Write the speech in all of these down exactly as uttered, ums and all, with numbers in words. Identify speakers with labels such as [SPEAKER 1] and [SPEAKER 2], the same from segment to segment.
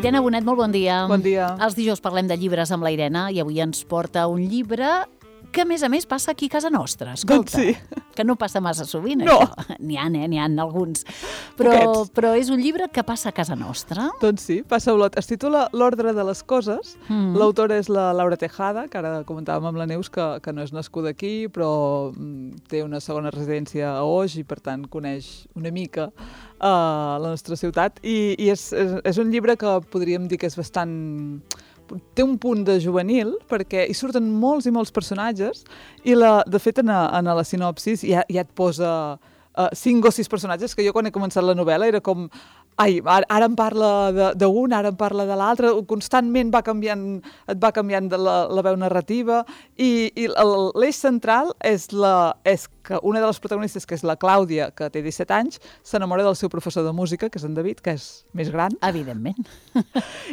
[SPEAKER 1] Irene Bonet, molt bon dia.
[SPEAKER 2] Bon dia.
[SPEAKER 1] Els dijous parlem de llibres amb la Irene i avui ens porta un llibre que, a més a més, passa aquí a casa nostra. Escolta,
[SPEAKER 2] Doncs sí.
[SPEAKER 1] Que no passa massa sovint,
[SPEAKER 2] No.
[SPEAKER 1] això. N'hi ha, eh? N'hi ha alguns. Però,
[SPEAKER 2] Poquets.
[SPEAKER 1] però és un llibre que passa a casa nostra.
[SPEAKER 2] Doncs sí, passa a Olot. Es titula L'ordre de les coses.
[SPEAKER 1] Mm.
[SPEAKER 2] L'autora és la Laura Tejada, que ara comentàvem amb la Neus, que, que no és nascuda aquí, però mm, té una segona residència a Oix i, per tant, coneix una mica uh, la nostra ciutat. I, i és, és, és un llibre que podríem dir que és bastant... té un punt de juvenil, perquè hi surten molts i molts personatges, i la, de fet, en, a, en a la sinopsis ja, ja et posa uh, cinc o sis personatges, que jo quan he començat la novel·la era com... Ai, ara, ara em parla d'un, ara em parla de l'altre, constantment va canviant, et va canviant de la, la veu narrativa, i, i l'eix central és, la, és que una de les protagonistes, que és la Clàudia, que té disset anys, s'enamora del seu professor de música, que és en David, que és més gran.
[SPEAKER 1] Evidentment.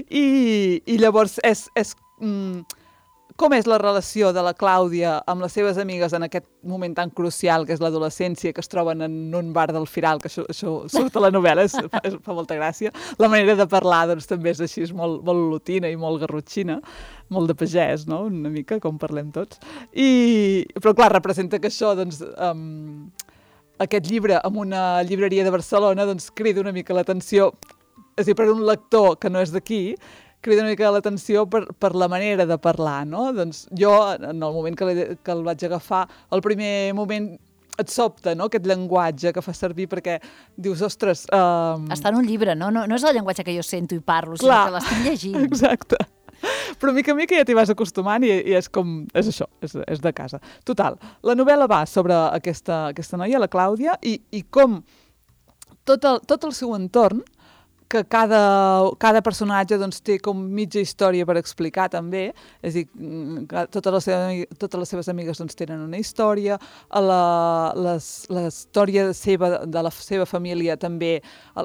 [SPEAKER 2] I, i llavors és, és mm, com és la relació de la Clàudia amb les seves amigues en aquest moment tan crucial que és l'adolescència, que es troben en un bar del Firal, que això, això surt a la novel·la, és, fa, és, fa molta gràcia. La manera de parlar doncs, també és així, és molt, molt lotina i molt garrotxina, molt de pagès, no? Una mica, com parlem tots. I, però clar, representa que això, doncs... Um, aquest llibre en una llibreria de Barcelona doncs, crida una mica l'atenció, és a dir, per un lector que no és d'aquí, crida una mica l'atenció per, per la manera de parlar, no? Doncs jo, en el moment que, que el vaig agafar, el primer moment et sobta, no?, aquest llenguatge que fa servir, perquè dius, ostres... Um...
[SPEAKER 1] Està en un llibre, no? no? No és el llenguatge que jo sento i parlo,
[SPEAKER 2] Clar,
[SPEAKER 1] sinó que l'estic llegint.
[SPEAKER 2] Exacte. Però mica a mica ja t'hi vas acostumant i, i és com... És això, és, és de casa. Total, la novel·la va sobre aquesta, aquesta noia, la Clàudia, i, i com tot el, tot el seu entorn, que cada, cada personatge doncs, té com mitja història per explicar també, és a dir, totes les seves, totes les seves amigues doncs, tenen una història, la, les, la història seva, de la seva família també,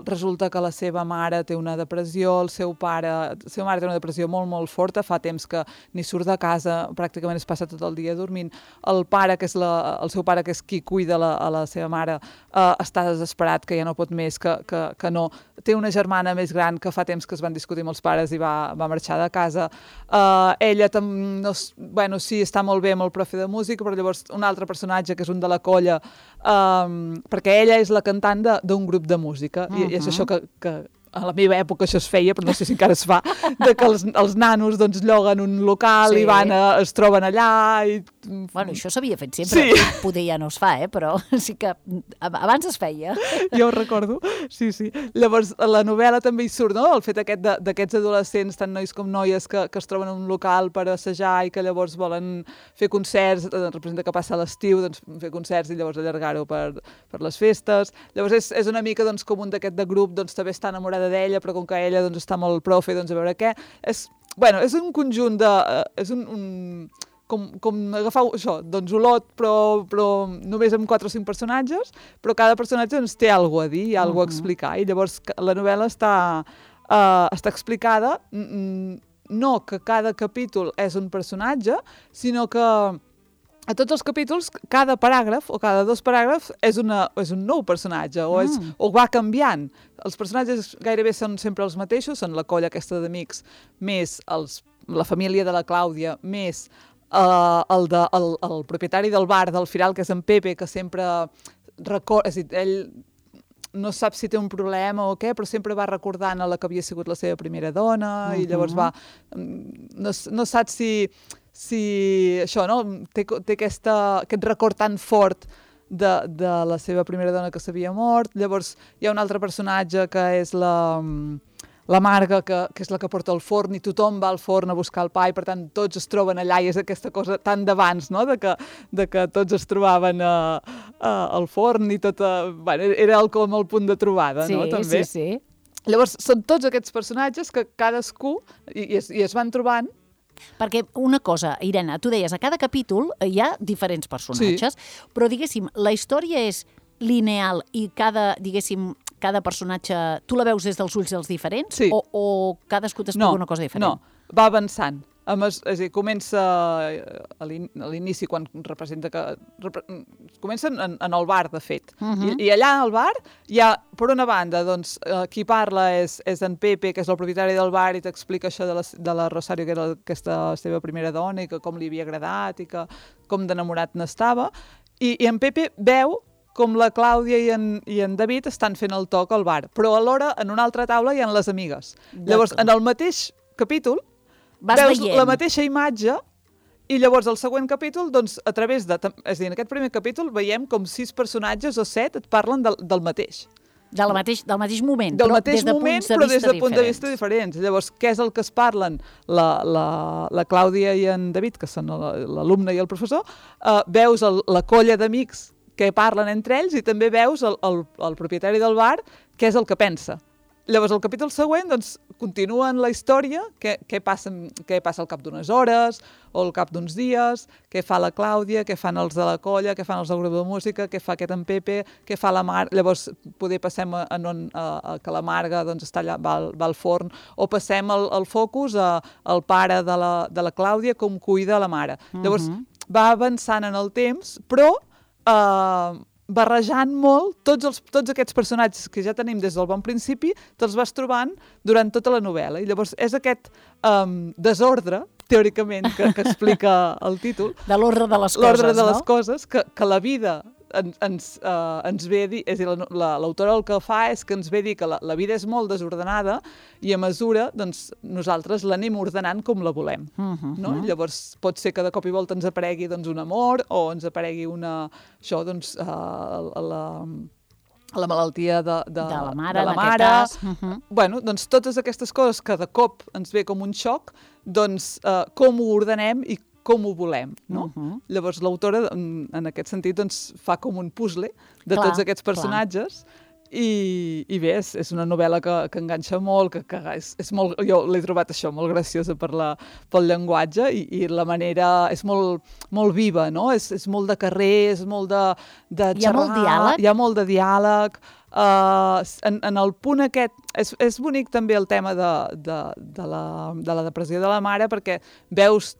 [SPEAKER 2] resulta que la seva mare té una depressió, el seu pare, la seva mare té una depressió molt, molt forta, fa temps que ni surt de casa, pràcticament es passa tot el dia dormint, el pare, que és la, el seu pare, que és qui cuida la, a la seva mare, eh, està desesperat, que ja no pot més, que, que, que no, té una germana més gran que fa temps que es van discutir amb els pares i va, va marxar de casa. Uh, ella, tam, no, bueno, sí, està molt bé amb el profe de música, però llavors un altre personatge, que és un de la colla, um, perquè ella és la cantant d'un grup de música, uh-huh. i, i és això que... que a la meva època això es feia, però no sé si encara es fa, de que els, els nanos doncs, lloguen un local sí. i van a, es troben allà. I...
[SPEAKER 1] Bueno, això s'havia fet sempre,
[SPEAKER 2] sí.
[SPEAKER 1] Poder ja no es fa, eh? Però sí que abans es feia.
[SPEAKER 2] Jo ho recordo, sí, sí. Llavors, a la novel·la també hi surt, no?, el fet aquest d'aquests adolescents, tant nois com noies, que, que es troben en un local per assajar i que llavors volen fer concerts, representa que passa l'estiu, doncs fer concerts i llavors allargar-ho per, per les festes. Llavors és, és una mica doncs, com un d'aquest de grup, doncs també està enamorada d'ella, però com que ella doncs, està amb el profe, doncs a veure què. És, bueno, és un conjunt de... Uh, és un, un, com, com agafar això, doncs Olot, però, però només amb quatre o cinc personatges, però cada personatge doncs, té alguna a dir, hi ha alguna uh-huh. a explicar, i llavors la novel·la està, uh, està explicada, no que cada capítol és un personatge, sinó que a tots els capítols, cada paràgraf o cada dos paràgrafs és, una, és un nou personatge o, és, mm. o va canviant. Els personatges gairebé són sempre els mateixos, són la colla aquesta d'amics, més els, la família de la Clàudia, més uh, el, de, el, el propietari del bar del Firal, que és en Pepe, que sempre recorda... És a dir, ell no sap si té un problema o què, però sempre va recordant a la que havia sigut la seva primera dona, uh-huh. i llavors va... No, no sap si... si això, no?, té, té aquesta, aquest record tan fort de, de la seva primera dona que s'havia mort. Llavors hi ha un altre personatge que és la, la Marga, que, que és la que porta el forn, i tothom va al forn a buscar el pa, i per tant tots es troben allà, i és aquesta cosa tan d'abans, no?, de que, de que tots es trobaven a, a, al forn, i tot... A, bueno, era el, com el punt de trobada,
[SPEAKER 1] sí,
[SPEAKER 2] no?, també.
[SPEAKER 1] Sí, sí.
[SPEAKER 2] Llavors són tots aquests personatges que cadascú, i, i, es, i es van trobant.
[SPEAKER 1] Perquè una cosa, Irene, tu deies, a cada capítol hi ha diferents personatges, sí. però, diguéssim, la història és lineal i cada, diguéssim, cada personatge, tu la veus des dels ulls dels diferents?
[SPEAKER 2] Sí.
[SPEAKER 1] O, o cadascú t'explica
[SPEAKER 2] no,
[SPEAKER 1] una cosa diferent?
[SPEAKER 2] No, va avançant. A mes, és a dir, comença a l'inici, quan representa que... Repre, comença en, en el bar, de fet. Uh -huh. I, I allà al bar hi ha, per una banda, doncs, eh, qui parla és, és en Pepe, que és el propietari del bar, i t'explica això de la, de la Rosario, que era aquesta seva primera dona, i que com li havia agradat, i que com d'enamorat n'estava. I, I en Pepe veu com la Clàudia i en, i en David estan fent el toc al bar, però alhora en una altra taula hi ha les amigues. Llavors, en el mateix capítol, Vas veus veient. la mateixa imatge, i llavors el següent capítol, doncs, a través de... És a dir, en aquest primer capítol veiem com sis personatges o set et parlen del, del mateix.
[SPEAKER 1] Del mateix, del mateix moment,
[SPEAKER 2] del
[SPEAKER 1] però
[SPEAKER 2] mateix
[SPEAKER 1] des de
[SPEAKER 2] moment,
[SPEAKER 1] punts de
[SPEAKER 2] però
[SPEAKER 1] vista
[SPEAKER 2] des de punts de
[SPEAKER 1] diferents.
[SPEAKER 2] vista diferents. Llavors, què és el que es parlen? La, la, la Clàudia i en David, que són l'alumne i el professor, uh, veus el, la colla d'amics que parlen entre ells, i també veus el, el, el propietari del bar, què és el que pensa. Llavors, el capítol següent, doncs, continua en la història, què, què, passa, què passa al cap d'unes hores, o al cap d'uns dies, què fa la Clàudia, què fan els de la colla, què fan els del grup de música, què fa aquest en Pepe, què fa la Mar... Llavors, poder passem a, a, a, a que la Marga doncs, està allà, va, al, va al forn, o passem el, el focus a, al pare de la, de la Clàudia, com cuida la mare. Uh-huh. Llavors, va avançant en el temps, però... Uh, barrejant molt tots, els, tots aquests personatges que ja tenim des del bon principi, te'ls vas trobant durant tota la novel·la. I llavors és aquest um, desordre, teòricament, que, que explica el títol.
[SPEAKER 1] De l'ordre de les coses,
[SPEAKER 2] L'ordre de
[SPEAKER 1] no?
[SPEAKER 2] les coses, que, que la vida en, ens, uh, ens ve a dir... És a dir, l'autora el que fa és que ens ve a dir que la, la vida és molt desordenada i a mesura, doncs, nosaltres l'anem ordenant com la volem. Uh -huh, no? Uh -huh. Llavors, pot ser que de cop i volta ens aparegui doncs, un amor, o ens aparegui una... Això, doncs, uh, la... la malaltia de, de,
[SPEAKER 1] de la mare,
[SPEAKER 2] de la
[SPEAKER 1] en
[SPEAKER 2] mare.
[SPEAKER 1] aquest cas. Uh-huh.
[SPEAKER 2] Bueno, doncs totes aquestes coses que de cop ens ve com un xoc, doncs uh, com ho ordenem i com ho volem, no? Uh-huh. Llavors l'autora, en, en aquest sentit, doncs, fa com un puzzle de clar, tots aquests personatges, clar. I, i bé, és, és una novel·la que, que enganxa molt, que, que és, és molt, jo l'he trobat això, molt graciosa per la, pel llenguatge, i, i la manera és molt, molt viva, no? És, és molt de carrer, és molt de, de xerrar.
[SPEAKER 1] Hi ha molt diàleg?
[SPEAKER 2] Hi ha molt de diàleg. Uh, en, en el punt aquest, és, és bonic també el tema de, de, de, la, de la depressió de la mare, perquè veus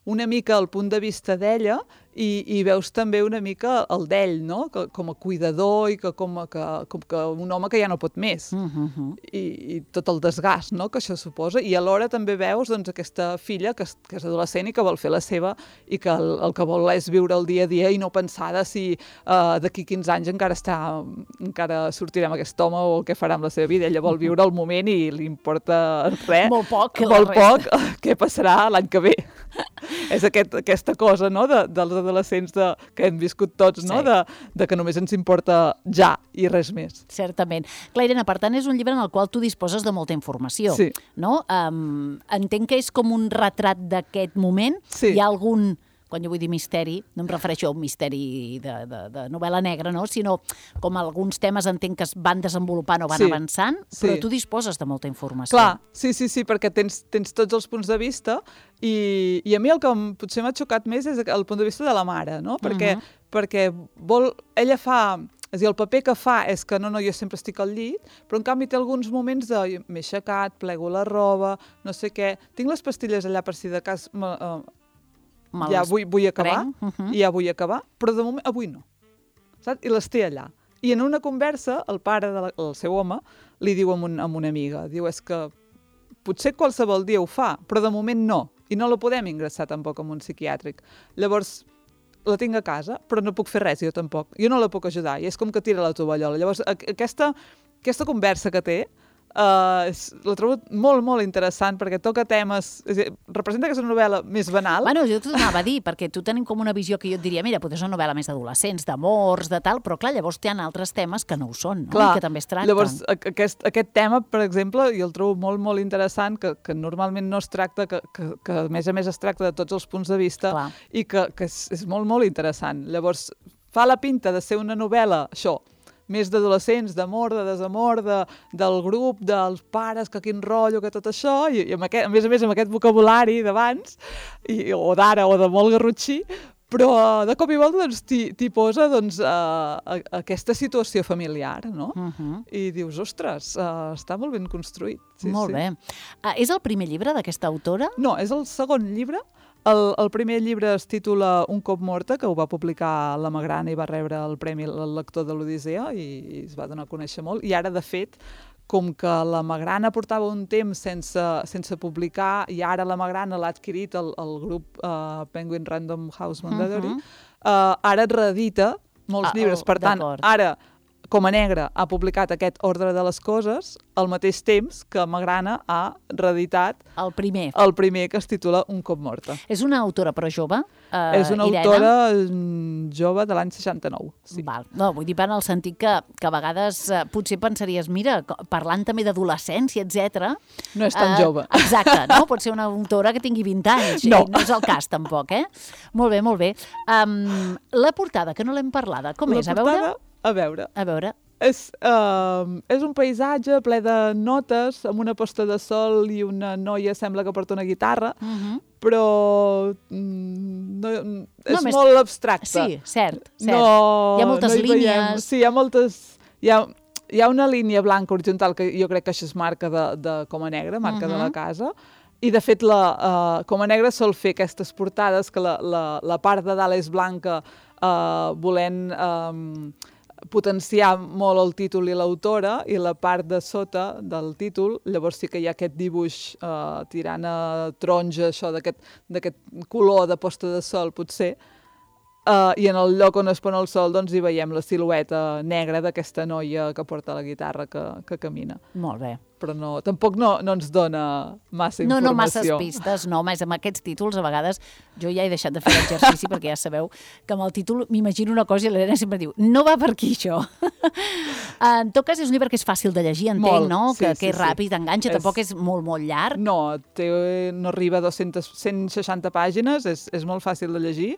[SPEAKER 2] una mica el punt de vista d'ella, i, i veus també una mica el d'ell, no? Que, com a cuidador, i que com, a, que, com que un home que ja no pot més. Uh -huh. I, I tot el desgast, no?, que això suposa. I alhora també veus doncs, aquesta filla que és, que és adolescent i que vol fer la seva, i que el, el que vol és viure el dia a dia i no pensar de si uh, d'aquí quinze anys encara està, encara sortirà amb aquest home o què farà amb la seva vida. Ella vol viure el moment i li importa res.
[SPEAKER 1] Molt poc.
[SPEAKER 2] Molt poc què passarà l'any que ve. És aquest, aquesta cosa, no?, de, dels adolescents de, que hem viscut tots, no?, sí. de, de que només ens importa ja i res més.
[SPEAKER 1] Certament. Clar, Irene, per tant, és un llibre en el qual tu disposes de molta informació,
[SPEAKER 2] sí.
[SPEAKER 1] no? Um, entenc que és com un retrat d'aquest moment.
[SPEAKER 2] Sí.
[SPEAKER 1] Hi ha algun... Quan jo vull dir misteri, no em refereixo a un misteri de, de, de novel·la negra, no? Sinó com alguns temes entenc que es van desenvolupant o van
[SPEAKER 2] sí.
[SPEAKER 1] avançant,
[SPEAKER 2] sí.
[SPEAKER 1] però tu disposes de molta informació.
[SPEAKER 2] Clar, sí, sí, sí, perquè tens, tens tots els punts de vista, i, i a mi el que potser m'ha xocat més és el punt de vista de la mare, no? Perquè, uh-huh. perquè vol, ella fa... És a dir, el paper que fa és que no, no, jo sempre estic al llit, però en canvi té alguns moments de m'he aixecat, plego la roba, no sé què, tinc les pastilles allà per si de cas... Uh, ja vull, vull acabar, uh -huh. i ja vull acabar, però de moment avui no. Saps? I les té allà. I en una conversa, el pare del seu home li diu a, un, a una amiga, diu, és que potser qualsevol dia ho fa, però de moment no, i no la podem ingressar tampoc en un psiquiàtric. Llavors, la tinc a casa, però no puc fer res, jo tampoc. Jo no la puc ajudar, i és com que tira la tovallola. Llavors, aquesta, aquesta conversa que té, Uh, és, la trobo molt, molt interessant, perquè toca temes... És dir, representa que és una novel·la més banal.
[SPEAKER 1] Bueno, jo t'ho anava a dir, perquè tu tenim com una visió que jo et diria, mira, potser és una novel·la més d'adolescents, d'amors, de tal, però clar, llavors hi ha altres temes que no ho són, no?
[SPEAKER 2] Clar,
[SPEAKER 1] I que també es tracten.
[SPEAKER 2] Llavors, aquest, aquest tema, per exemple, jo el trobo molt, molt interessant, que, que normalment no es tracta, que, que, que a més a més es tracta de tots els punts de vista, clar. I que, que és, és molt, molt interessant. Llavors, fa la pinta de ser una novel·la, això, més d'adolescents, d'amor, de desamor, de, del grup, dels pares, que quin rotllo, que tot això, i, i amb aquest, a més a més amb aquest vocabulari d'abans, i, o d'ara, o de molt garrotxí, però de cop i volta doncs, t'hi posa doncs, uh, aquesta situació familiar, no? Uh -huh. I dius, ostres, uh, està molt ben construït. Sí,
[SPEAKER 1] molt
[SPEAKER 2] sí.
[SPEAKER 1] bé. Uh, és el primer llibre d'aquesta autora?
[SPEAKER 2] No, és el segon llibre. El, el primer llibre es titula Un cop morta, que ho va publicar la Magrana i va rebre el Premi al Lector de l'Odissea i, i es va donar a conèixer molt. I ara, de fet, com que la Magrana portava un temps sense, sense publicar i ara la Magrana l'ha adquirit el, el grup uh, Penguin Random House Mondadori, uh -huh. uh, ara et reedita molts ah, llibres. Per tant, ara, Coma Negra ha publicat aquest Ordre de les Coses al mateix temps que Magrana ha reeditat
[SPEAKER 1] el primer,
[SPEAKER 2] el primer que es titula Un cop morta.
[SPEAKER 1] És una autora però jove? Uh,
[SPEAKER 2] és una
[SPEAKER 1] Irene?
[SPEAKER 2] autora jove de l'any seixanta-nou. Sí.
[SPEAKER 1] Val. No, vull dir en el sentit que, que a vegades uh, potser pensaries, mira, parlant també d'adolescència, etcètera.
[SPEAKER 2] No és tan uh, jove.
[SPEAKER 1] Exacte, no? Pot ser una autora que tingui vint anys.
[SPEAKER 2] No.
[SPEAKER 1] No és el cas, tampoc, eh? Molt bé, molt bé. Um, la portada, que no l'hem parlada, com
[SPEAKER 2] la
[SPEAKER 1] és?
[SPEAKER 2] Portada,
[SPEAKER 1] a veure?
[SPEAKER 2] A veure.
[SPEAKER 1] A veure.
[SPEAKER 2] És, uh, és un paisatge ple de notes, amb una posta de sol i una noia sembla que porta una guitarra, uh -huh. però mm, no, és no, molt abstracte.
[SPEAKER 1] Sí, cert, cert.
[SPEAKER 2] No,
[SPEAKER 1] hi ha moltes
[SPEAKER 2] no hi
[SPEAKER 1] línies.
[SPEAKER 2] Veiem. Sí, hi ha moltes... Hi ha, hi ha una línia blanca horitzontal que jo crec que això és marca de, de Coma Negra, marca uh -huh. de la casa, i de fet la uh, Coma Negra sol fer aquestes portades que la, la, la part de dalt és blanca uh, volent... Um, potenciar molt el títol i l'autora, i la part de sota del títol, llavors sí que hi ha aquest dibuix eh, tirant a taronja, això d'aquest color de posta de sol, potser, eh, i en el lloc on es pon el sol doncs hi veiem la silueta negra d'aquesta noia que porta la guitarra que, que camina.
[SPEAKER 1] Molt bé.
[SPEAKER 2] Però no, tampoc no, no ens dona massa informació.
[SPEAKER 1] No, no masses pistes, no, més amb aquests títols a vegades jo ja he deixat de fer l'exercici perquè ja sabeu que amb el títol m'imagino una cosa i l'Helena sempre diu, no va per aquí això. En tot cas és un llibre que és fàcil de llegir, entenc, molt, no? Sí, que, sí, que és sí. ràpid, enganxa, és... tampoc és molt, molt llarg.
[SPEAKER 2] No, té, no arriba a dues-centes, cent seixanta pàgines, és, és molt fàcil de llegir.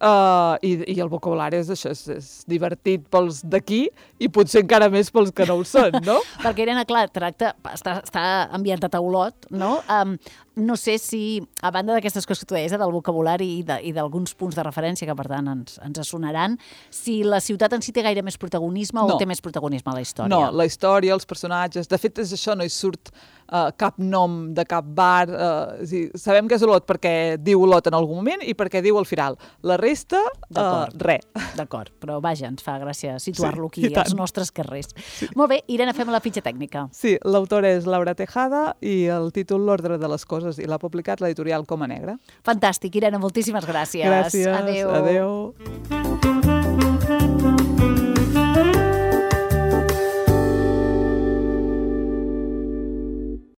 [SPEAKER 2] Uh, i, i el vocabulari és això, és, és divertit pels d'aquí i potser encara més pels que no ho són, no?
[SPEAKER 1] Perquè, Irene, clar, tracta, està, està ambientat a Olot, no? Um, no sé si, a banda d'aquestes coses que tu deies, eh, del vocabulari i, de, i d'alguns punts de referència que, per tant, ens, ens sonaran, si la ciutat en si té gaire més protagonisme no. o té més protagonisme a la història?
[SPEAKER 2] No, la història, els personatges... De fet, és això, no hi surt uh, cap nom de cap bar. Uh, és dir, sabem que és Olot perquè diu Olot en algun moment i perquè diu el Firal. La resta, uh, res.
[SPEAKER 1] D'acord, però vaja, ens fa gràcia situar-lo
[SPEAKER 2] sí,
[SPEAKER 1] aquí, als nostres carrers. Sí. Molt bé, Irene, fem la fitxa tècnica.
[SPEAKER 2] Sí, l'autora és Laura Tejada i el títol L'Ordre de les Coses, i l'ha publicat l'editorial Coma Negra.
[SPEAKER 1] Fantàstic, Irene, moltíssimes gràcies.
[SPEAKER 2] Gràcies,
[SPEAKER 1] adéu.
[SPEAKER 2] adéu.